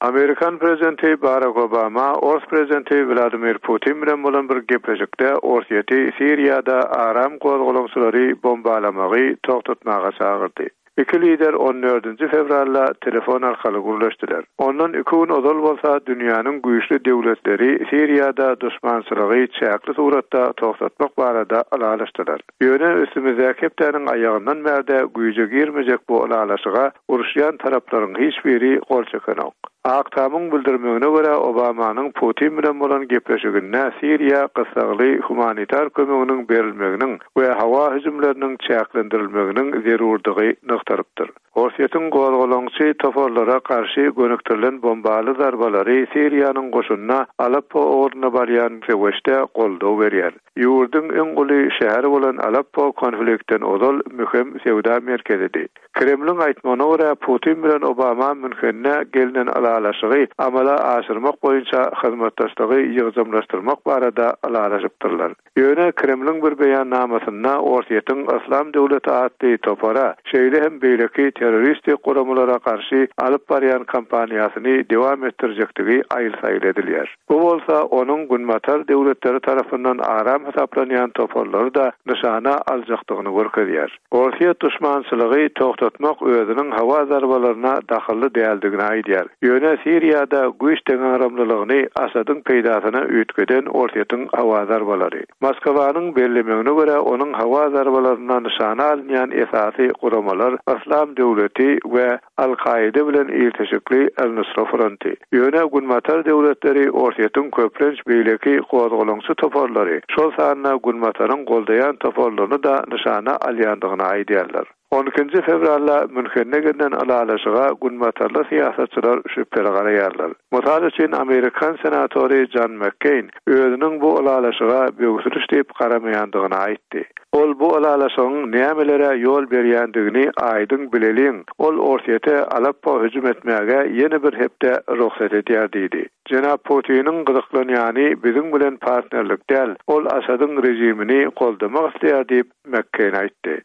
Amerikan prezidenti Barak Obama ors prezidenti Wladimir Putin bilen bolan bir gepleşikde Orsýeti Siriýada aram gozgalaňçylary bombalamagy togtatmaga çagyrdy. Iki lider on dördünji fewralda telefon arkaly gürleşdiler. Ondan iki gün ozal bolsa dünýäniň güýçli döwletleri Siriýada duşmançylygy çäkli suratda togtatmak barada ylalaşdylar. Ýöne üstümizdäki hepdäniň aýagyndan bärde güýje girmejek bu ylalaşyga uruşýan taraplaryň hiç biri gol çekenok. Ak Tamyň bildirmegine görä, Obamanyň Putin bilen bolan gepleşiginde Siriýa gyssagly humanitar kömeginiň berilmeginiň we howa hüjümleriniň çäklendirilmeginiň zerurdygy nygtalypdyr. Orsýetiň gozgalaňçy toparlara garşy gönükdirilen bombaly zarbalary Siriýanyň goşunyna Aleppo ugrunda barýan söweşde goldaw berýär. Ýurduň iň uly şäheri bolan Aleppo konfliktden ozal möhüm söwda merkezidi. Kremliň aýtmagyna görä, Putin bilen Obama Münhende gelnen ylalaşygy amala aşyrmak boýunça hyzmatdaşlygy ýygjamlaşdyrmak barada ylalaşypdyrlar. Ýöne Kremliň bir beýannamasynda Orsýetiň Yslam döwleti atly topara, şeýle hem beýleki terroristik guramalara garşy alyp barýan kampaniýasyny dowam etdirjekdigi aýyl-saýyl edilýär. Bu bolsa onuň Günbatar döwletleri tarapyndan aram hasaplanýan toparlary-da nyşana aljakdygyny görkezýär. Orsýet duşmançylygy togtatmak özüniň howa zarbalaryna dahylly däldigini aýdýar. Ýöne Siriýada güýç deňagramlylygyny Asadyň peýdasyna üýtgeden Orsýetiň howa zarbalary. Moskwanyň bellemegine görä, onuň howa zarbalarynda nyşana alynýan esasy guramalar Yslam döwleti we Al-Kaide bilen ilteşikli Al-Nusra fronty. Ýöne Günbatar döwletleri Orsýetiň köplenç beýleki gozgalaňçy toparlary, şol sanda Günbataryň goldaýan toparlaryny-da nyşana alýandygyny aýdýarlar. On ikinji fewralda Münhende gelnen ylalaşyga günbatarly syýasatçylar şübheli garaýarlar. Mysal üçin, amerikan senatory Jon Makkeýn özüniň bu ylalaşyga böwsüliş diýip garamaýandygyny aýtdy. Ol bu ylalaşygyň nämelere ýol berýändigini aýdyň bileliň, ol Orsýete Aleppo hüjüm etmäge ýene bir hepde rugsat edýär diýdi. Jenap Putiniň gyzyklanýany biziň bilen partnerlik däl, ol Asadyň režimini goldamak isleýär diýip, Makkeýn aýtdy.